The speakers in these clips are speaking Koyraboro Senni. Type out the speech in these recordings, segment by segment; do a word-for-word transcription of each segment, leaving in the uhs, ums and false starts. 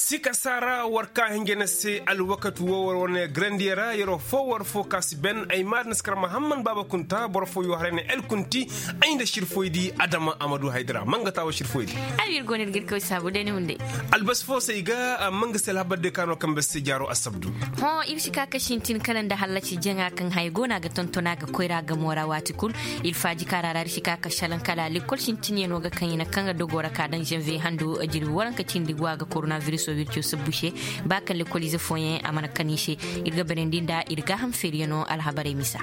Sika saara war ka hinja na se alwakati wo war wane garandiya ra yeroo foo war foo ka si ben ay maadin si kar mahamman baaba kunta boro foo yoo haray na el kunti. Ay nda sirfoy di adama amadu haydara manga taa wa sirfoy di. Ay ir go no ir ga ir kaway saabu day ni hunday. Albasi foo se i ga a manga se alhabar day ka no kambe se jaaroo assabdu. Hõ ir si ka ka sintin kala nda hallasi jaŋa kaŋ haya go no a ga tonton a ga koyra gamo ra waati kul. Ir faaji kaara ra ir si ka ka salaŋ kala lekkol sintinyano ga kaŋ i na kaŋ ga dogoo ra ka daŋ zanviye hando jirbi waranka cindi go a ga koronabiriso wirco sabbu se. Ba kaŋ lekkoliize fooyaŋ a mana kan i se. Ir ga barandi nda ir gaaham feeriyano alhabarey misa.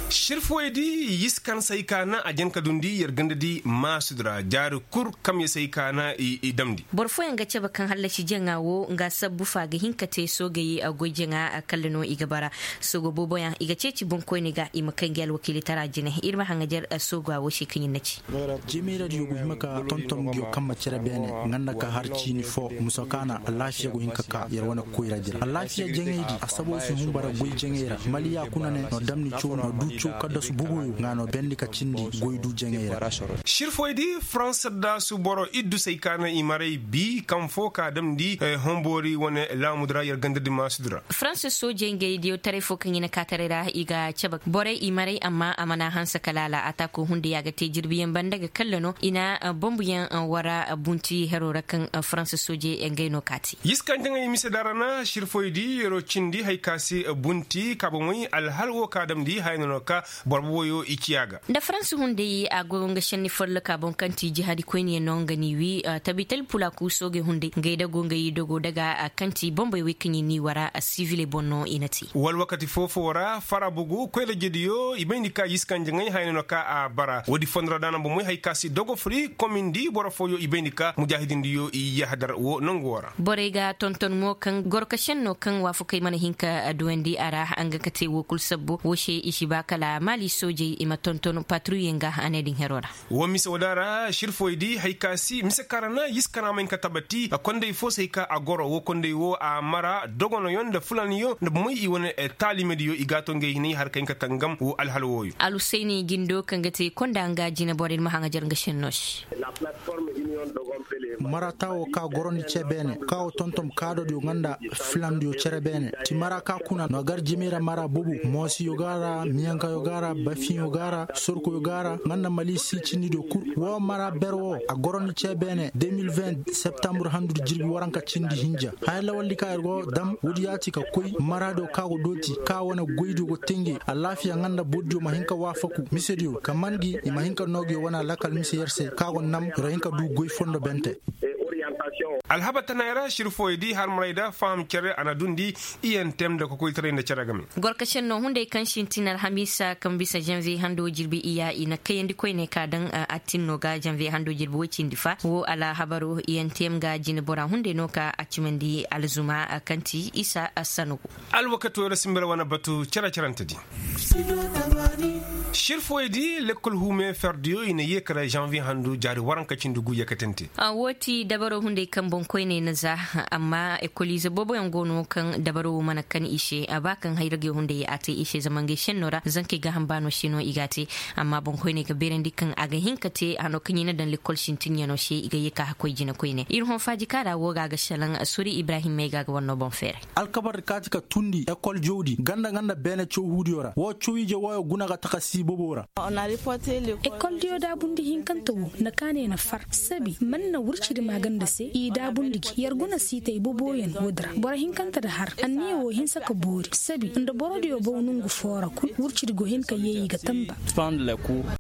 Sirfowey di yiskan say kaana a jen ka dundi yer ganda di maasud ra jaari kul kamye say kaana i damndi. Boro fooyaŋ ga cabe kaŋ hallasi jaŋa wo nga sabbu fa ga hin ka te soogey goy jaŋa kalla no i ga bara. Soogo booboyaŋ i ga ceeci boŋkoyne ga i ma kay ngi alwakiilitara jine ir ma haŋajer soogo a wo se kaŋ ir na ci. Jemey ra diyo go hima ka tonton ngiyo kamma cere beene nga nda ka har ciini fo muso kaana alaafiya go hin ka ka yer wane koyra jira alaafiya jaŋey di a sabo si humbara goy jaŋey ra maliya kuna ne no damni caw no du caw kaddasu buguyo nga no bendi ka cindi goy du jaŋey ra. Sirfoy di faransa daasu boro iddu say kaana i maray bi kaŋ fo ka damndi homboori wane laamudu ra yer ganda di maasudu ra. Faransa soojey ngey diyo taray fo kaŋ i na kaataray ra i ga cabe borey i maray amma a mana hanse kala ala ataako hunday a ga te jirbiyaŋ banda ga kalla no i na bombuyaŋ wara bunti hero ra kaŋ faransa soojey ngey no kaati. Yiskanjaŋey mise da ra na sirfoy di yeroo cindi hay ka se bunti kaabamey alhal wo ka damndi haya no no ka boro boboyo i ciya ga. Nda faransa hunday a go nga senni folloka boŋ kaŋ ti jihaadi koyniyaŋ no nga n'i wi tabital pulaaku soogey hunday ngey dago ngey dogo daga kaŋ ti bombey wey kaŋ i n'i wara siviley boŋ no i na te. Wala wakati foo-foo ra fara bugu koyra jediyo i bay ni ka yiskanjaŋey haya no no ka a bara woodi fondo ra da na bomey hay ka si dogo furi komindi boro fooyo i bay ni ka mujaahidindiyo i yahadar wo nangu wo ra. Borey ga tonton mo kaŋ gorkasen no kaŋ waafakey mana hin ka duwandi a ra nga ka te wo kul sabbo wo se i si ba kala maali soojey i ma tonton patruye nga a ne din hero ra. Wo mise wo da ra sirfoy di hay ka si mise kaŋ ra na yiskanaa ma hin ka tabati kondey fo se hay ka a goro wo kondey wo a mara dogonoyo nda fulaniyo nda bomey i wane taalimediyo i gaato ngey hinay har ka hin ka tangam wo alhal wooyo. Alhusayni jindo kaŋ ga te konda nga jine borey ma haŋajer nga senno se. Marata wo ka gorandi ce beene ka wo tonton kaadodiyo nga nda filandiyo cere beene ti mara ka kuna no gar jimira mara bobo moosiyo ga ra miyankayo ga ra bafiyo ga ra sorkoyo ga ra nga nda mali si cindidiyo kul wo mara ber wo a gorandi ce beene de mil vin septambur handu jirbi waranka cindi hinja haya lawaldi ka ir go dam woodi yaati ka koy maradiyo ka go dooti ka wane goydiyo go tenge alaafiya nga nda bordiyo ma hin ka waafaku misediyo ka man gi i ma hin ka noo gi wane alakal mise yer se ka go nam ir hin ka du goy fondo bente. Alhabar tanay ra sirfoy di harmaray da faham cere a na dundi iyantem nda kokoytaray nda cere game. Gorkasen no hunday kaŋ sintin alhamiisa kaŋ bisa janviye hando jirbi iya i na kayandi koyne ka daŋ attin no ga janviye hando jirbi woy cindi fa wo alhabaroo iyantem ga jinebora hunday no ka a cimandi alzuma kaŋ ti isa sanugu. Alwakati wo ra sinbira wane batu cere-cerante di. Sirfoy di lekkol huume ferdiyo i na yeekara janviye handu jaari waranka cindi gu yeekatante. Woo ti dabaro hunday kaŋ boŋkoyney na za. Amma ekoliize booboyaŋ go no kaŋ dabaro wo mana kan i se a ba kaŋ hayragey hunday a te i se zama ngey senno ra zankey gaaham baano se no i g'a te. Amma boŋkoyney ga beerandi kaŋ a ga hin ka te hano kaŋ i na daŋ lekkol sintinyaŋo se i ga ye ka hakkoy jina koyne ir hõ faajikaara wo ga a ga salaŋ sori ibrahim may ga a ga war no boŋ feeray. Alkabar kaati ka tundi ekol jawdi ganda ganda beene cawhuudiyo ra wo cawiije wooyo guna ga taka siibobo ra. Ekoldiyo daabundi hinkante wo na kaanay na far sabi man na wurcidi maaganda se i daabundi gi yer guna siitay boboyaŋ woodi ra boro hinkante da har anniya wo hinsa ka boori sabi nda borodiyo baw nongu foo ra kul wurcidi go hin ka yee i ga tamba.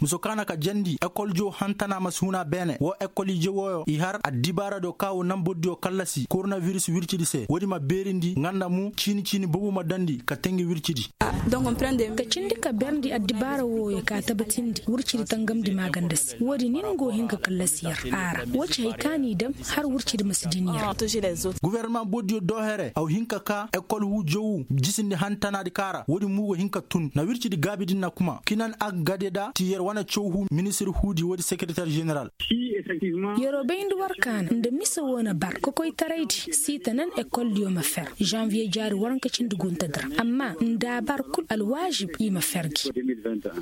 Muso kaana ka jandi ekoldiyo hantana ma si huna beene wo ekoliije wooyo i har addibaaradiyo ka wo naŋ bordiyo kallasi koronabiris wircidi se woodi ma beerindi nga nda mu ciini ciini bobo ma dandi ka te ngi wircidi. Ka cindi ka berndi addibaara wooyo ka tabatindi wurcidi tangamndi maaganda se woodi nin go hin ka kallasi yer a ra woo ci hay ka n'i dam har wurcidi ma si din yer. Gofornama boodiyo doo here aw hin ka ka ekol huu jawu jisindi hantanaadi ka ra woodi mo go hin ka tun na wircidi gaabi din na kuma kinan aggadeda ti yer wane caw huu ministir huudi woodi sekereter jeneral. Yeroo bayndi war kaana nda mise woo na bar kokoytaraydi siita nan ekoldiyo ma fer janviye jaari waranka cindi gunta dira amma nda a bar kul alwaazib i ma fer gi.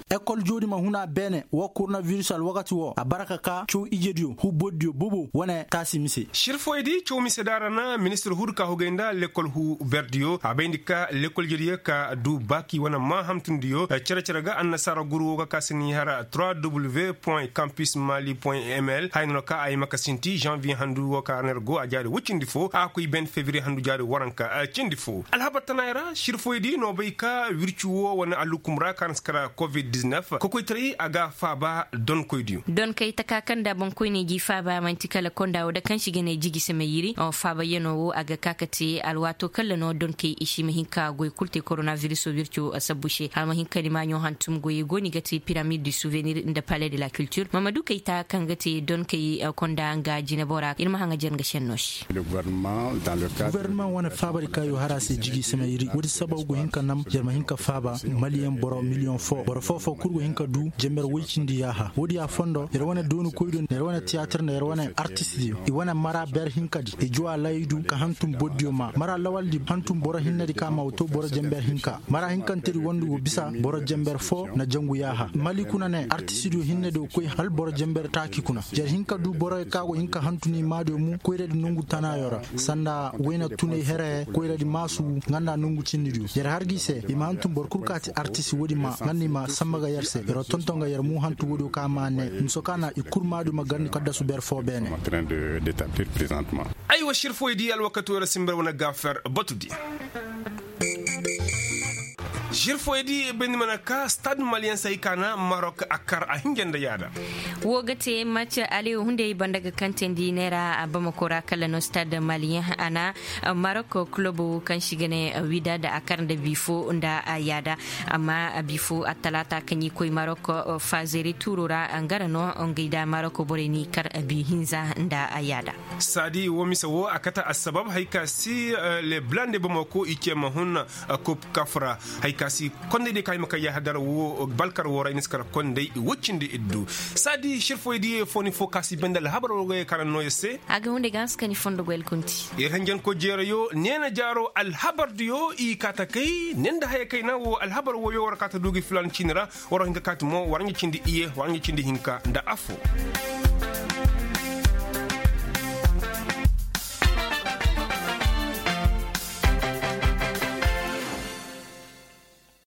Ekol joodi ma hun a beene woo koronabiris alwakati woo a bara ka kaa caw ijediyo huu bordiyo bobo wane taasi mise. Sirfoydi caw mise da a ra na ministir huu di ka hugay nda lekol huu berdiyo a bayndi ka lekol ijediyo ka du baaki wane maa hantumdiyo cere-cere ga annasaara guru woo ga ka se ni hara trois w point campus mali point ml haya no na ka a yee ma ka sinti janviye handu woo ka ra na yer go a jaari woy cindi foo a koy ben febiriye handu jaari waranka cindi foo alhabar tanaay ra sirfoydi no bay ka wirci woo wane alhukum ra ka na si kara covid-19 kokoytaray a ga a faaba donkoydiyo. Donkey taka kaŋ nda boŋkoyney g'i faaba man'ti kala konda woo da kaŋ si ga ne jigi seme yiri faaba yano woo a ga ka ka te alwaato kaŋ ra no donkey i si ma hin ka goy kul te korona biriso wirco sabbu se hala ma hin ka ni maaɲo hantum goyey go no i ga te piramid du suvenir nda pale de la kiltir mamadu kayta kaŋ ga te donkey konda nga jinebora ir ma haŋ a jar nga senno se. Gubarnama wane faabari kaŋ yo har a se jigi seme iri woodi sababu go hin ka nam yer ma hin ka faaba maliyeŋ boro miliyoŋ fo boro foo-foo kul go hin ka du jember woy cindi yaaha woodi a fondo yer wane dooni koy do nda yer wane tiyaatir nda yer wane artist diyo i wane mara ber hinkadi i juwa laydu ka hantum bordiyo maa mara lawaldi hantum boro hinnedi ka maa wa to boro jember hinka mara hinkantedi wondu go bisa boro jember foo na jangu yaaha mali kuna ne artist diyo hinnedi go koy hala boro jember taaki kuna jer hinka du boroyo ka go hin ka hantum i maadiyo mu koyradi nongu tanaayo ra sanda wayna tunay here koyradi maasu nga nda nongu cinnidiyo jer har gi se i ma hantum boro kul ka ti artist woodi ma nga nda i ma samba ga yer se yer wo tonton ga yer mu hantum woodiyo ka ma ne miso ka na i kul maadiyo ma garndi kaddasu ber foo beene. Aywa sirfoydi alwakati woo ra simber wane gaafer batudi. Sirfoydi bayndi mana ka stad maliyen se hay ka na marok a kar a hinja nda yaada. Woo ga te mac aleyo hunday banda ga kantandi neera bamako ra kala no stad maliyen a na marok kulobo kaŋ si ga ne widad a kar nda bifo nda yaada. Amma bifo attalaata kaŋ i koy marok fazeri tuuro ra nga ra no ngey nda marok borey n'i kar bi hinza nda yaada. Saadi woo mise woo a kate assabab hay ka si le blande bamako i ce ma hun kop kaf ra hay ka si kondey diyo ka hima ka yahadar woo balkar woo ra i na si kar kondey i woy cindi iddu. Saadi sirfoydiyo foo ni foo ka si bende alhabar woo ga yee ka na noo yer se. A ga hunday ga hanse ka ni fondo goy alkunti. Yer hanjanko jeerayo neena jaaro alhabardiyo i kaa ta kay ne nda haya kayna woo alhabar wooyo war kaa ta du gi filaana ciini ra. War hin ka kaati mo war ɲa cindi iye war ɲa cindi hinka nda affoo.